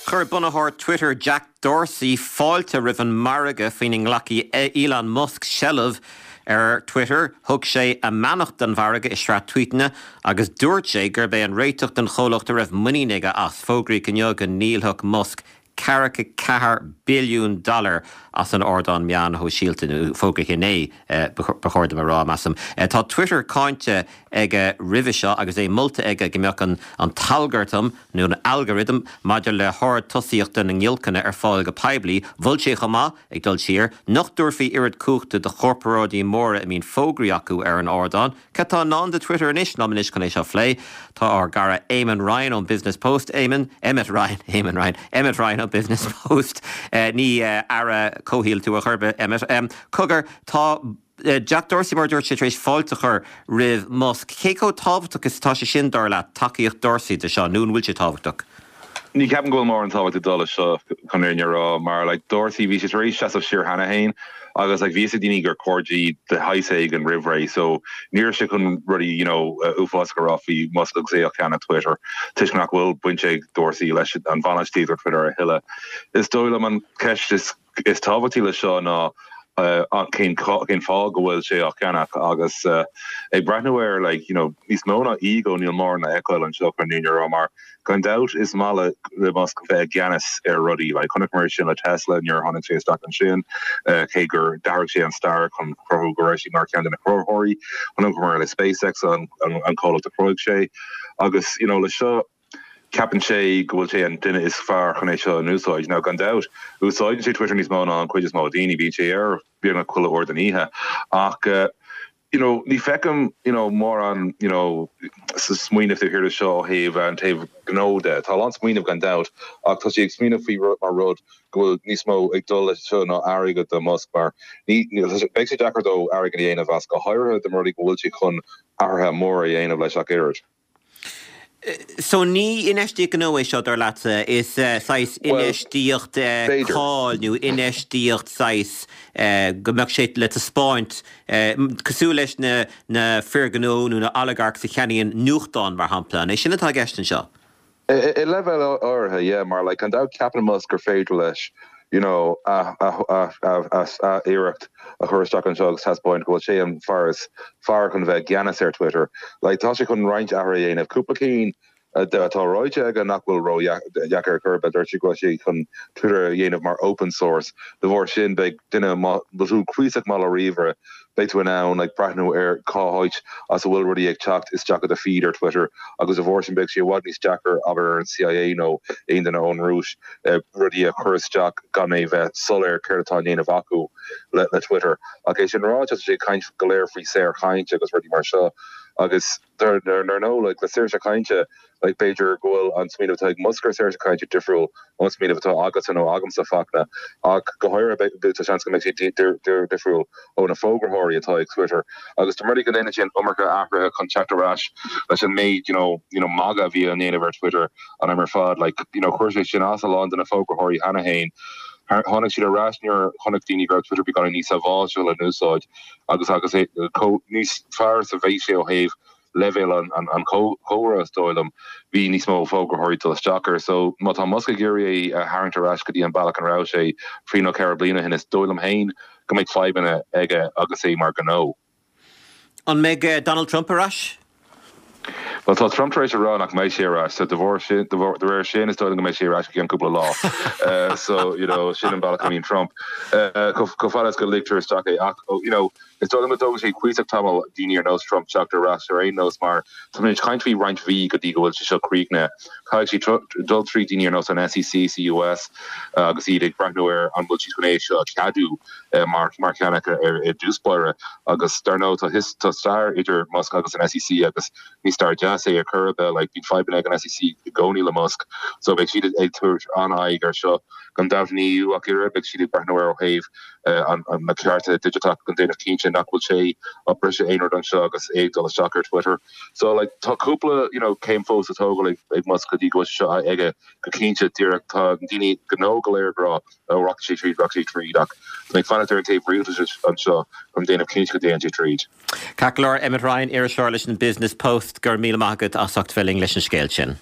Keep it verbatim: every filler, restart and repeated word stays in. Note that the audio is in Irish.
Chuir bunaitheoir Twitter Jack Dorsey fáilte roimh an margadh faoina nglacfaidh Elon Musk seilbh ar Twitter, thug sé a mbeannacht don mhargadh i sraith tweetanna agus dúirt sé gurb é an réiteach don chomhlacht a raibh muinín aige as fógraíodh inniu go ndíolfadh Musk ceathracha ceathair billiún dollar as an ardán meán shóisialta nó fógraíodh inné ba chóir dom a rá measaim. Tá Twitter cáinte aige roimhe seo agus é molta aige go mbeadh an an t-algartam nó an algorithm maidir le hord tosaíochta na ngiolcanna ar fáil go poiblí, Mhol sé chomh maith ag dul siar, nach dtabharfaí oiread cumhachta do chorparáidí móra a mbíonn fógraí acu ar an ardán. Cad tá i ndán do Twitter anois liom anois chun é seo a phlé. Tá ár gcara Eamon Ryan ón Business Post Eamon Emmet Ryan Eamon Ryan Emmet Ryan ón Business Post uh, ní uh, aire comhshaoil tú a churbe Emmet. Um, Cogar tá uh, Jack Dorsey mar dúirt sé tar éis fáilte a chur roimh Musk. Cé chomh tábhachtach is atá sé sin dar leat tacaíocht Dorsey de seo nó an bhfuil sé tábhachtach. Ní ceapaim go bhfuil mórán tábhacht ag dul leis seo chun rá mar like Dorsey bhí sé tar éis seasamh siar cheana féin agus like bhí daoine gur cairde de shaghas éigin roimh ré so ní raibh sé chun rudaí you know uh, uafásach a rá faoi Musk agus é ag ceannach Twitter Tuis nach bhfuil baint ag Dorsey leis an bhainistíocht ar Twitter a thuilleadh. Is dóigh liom an ceist is is tábhachtaí le seo ná uh, cén cén fáth go bhfuil sé á cheannach agus uh, ag breathnú air like you know níos mó ná ego níl mórán le feiceáil anseo chun an fhírinne a rá mar gan dabht is maith le Musk bheith i gceannas ar rudaí like chonaic mar sin le Tesla nuair a tháinig sé isteach ansin uh, cé gur d'athraigh sé an stair chun cruthú go raibh sé mar ceann de na cruthaitheoirí chonaic mar le SpaceX an an, an comhlacht a chruthaigh sé agus you know le seo ceapann sé go bhfuil sé an duine is fearr chun é seo a úsáid now gan dabht úsáideann sé Twitter níos mó ná an chuid is mó daoine bíonn sé air beagnach chuile uair den oíche ach uh, you know ní feicim you know mórán you know sa smaoineamh thiar seo ó thaobh an taobh gnó de Tá an smaoineamh gan dabht ach tá sé ag smaoineamh faoi mar rud go bhfuil níos mó ag dul leis seo ná airgead do Musk mar ní beidh sé deacair dó airgead a dhéanamh as go háirithe de rudaí go bhfuil sé chun athruithe mór a dhéanamh leis ach oiread. So ní infheistíocht gnó é seo dar leatsa is uh, saghas infheistíocht uh, cáil nó infheistíocht saghas uh, go mbeadh sé le taispeáint uh, cosúil leis na na fir gnó nó na oligarchs a cheannaíonn nuachtán mar shampla, é sin atá i gceist anseo. I leibhéal áirithe yeah, mar like, an dabht ceapann Musk gur féidir leis you know a a a a a iarracht a chur isteach anseo agus taispeáint go bhfuil sé an fear is fearr chun bheith i gceannas ar Twitter. Like tá sé chun roinnt athruithe a dhéanamh cúpla cinn atá ráite aige nach bhfuil ró-dheacair chur dúirt sé go bhfuil sé chun Twitter a dhéanamh mar open source de bharr sin beidh duine tú cuíosach maith le ríomhaire beidh tú in ann like breathnú ar cá háit as a bhfuil rudaí ag teacht isteach i do feed ar Twitter agus de bharr sin beidh sé i bhfad níos deacair abair ar an CIA nó aon duine ón Rúis uh, rudaí a chur isteach gan é bheith soiléir céard atá á dhéanamh acu le, le Twitter ach é sin ráite sé caint go léir faoi saorchaint agus rudaí mar seo agus dar nó like le saoirse cainte like b'fhéidir go bhfuil an smaoineamh atá ag Musk ar saoirse cainte difriúil ón smaoineamh atá agatsa nó agamsa Fachtna ach go háirithe tá seans go mbeidh sé difriúil ó na fógraitheoirí atá ag Twitter agus tá go ndéanann sin iomarca athruithe chun teacht ar ais leis an méid you know you know magadh a bhí á dhéanamh ar Twitter an am ar fad like you know chuir sé sin as a lán de na fógraitheoirí cheana féin tháinig siad ar ais nuair chonaic daoine go raibh Twitter beagán níos sábháilte le n-úsáid agus agus é níos fearr sa bheidh sé ó thaobh leibhéal an an an chomhrá is dóigh liom bhí níos mó fógraitheoirí dul isteach air so má tá Musk ag iarraidh a tharraingt ar ais go dtí an bealach an raibh sé trí nó ceithre bliana ó shin is dóigh liom féin go mbeidh fadhbanna aige agus é mar gnó. An mbeidh eh, Donald Trump ar ais? Well tá Trump tar éis a rá nach mbeidh sé ar ais so de bharr sin de réir sin is dóigh go mbeidh sé ar ais go cúpla lá. uh, so you know sin an bealach a mbíonn Trump. Uh, go fada go ligtear isteach é ach oh, you know is dóigh go dtógfaidh sé cuíosach tamall daoine ar nós Trump teacht ar ais ar aon nós mar tá muid ag caint faoi roinnt mhí go dtí go bhfuil sé seo críochnaithe. Caithfidh sé dul trí daoine ar nós an SEC sa US uh, agus iad ag breathnú ar an bhfuil siad chun é seo ceadú uh, mar mar cheannach ar i dtús báire agus dar ndóigh tá tá stair idir Musk agus an SEC agus ní stair deas é ar chor ar bith like bíonn fadhbanna ag an SEC i gcónaí le Musk so beidh siad ag tabhairt an-aghaidh ar seo gan dabht an EU ach oiread beidh siad ag breathnú ar ó thaobh uh, an, an na cearta digiteach chun déanamh cinnte nach bhfuil sé ag briseadh aon rud anseo agus é ag dul isteach ar Twitter. So like tá cúpla you know céim fós le tógáil ag, ag Musk go dtí go seo aige go cinnte díreach tá daoine gnó go léir ag rá ó rachaidh sé tríd rachaidh sé tríd ach tá fanacht ar an taobh rialtais anseo chun déanamh cinnte go dtéann sé tríd. Ceart go leor Emmet Ryan iriseoir leis an Business Post gur míle maith agat as ucht bheith linn leis an scéal sin.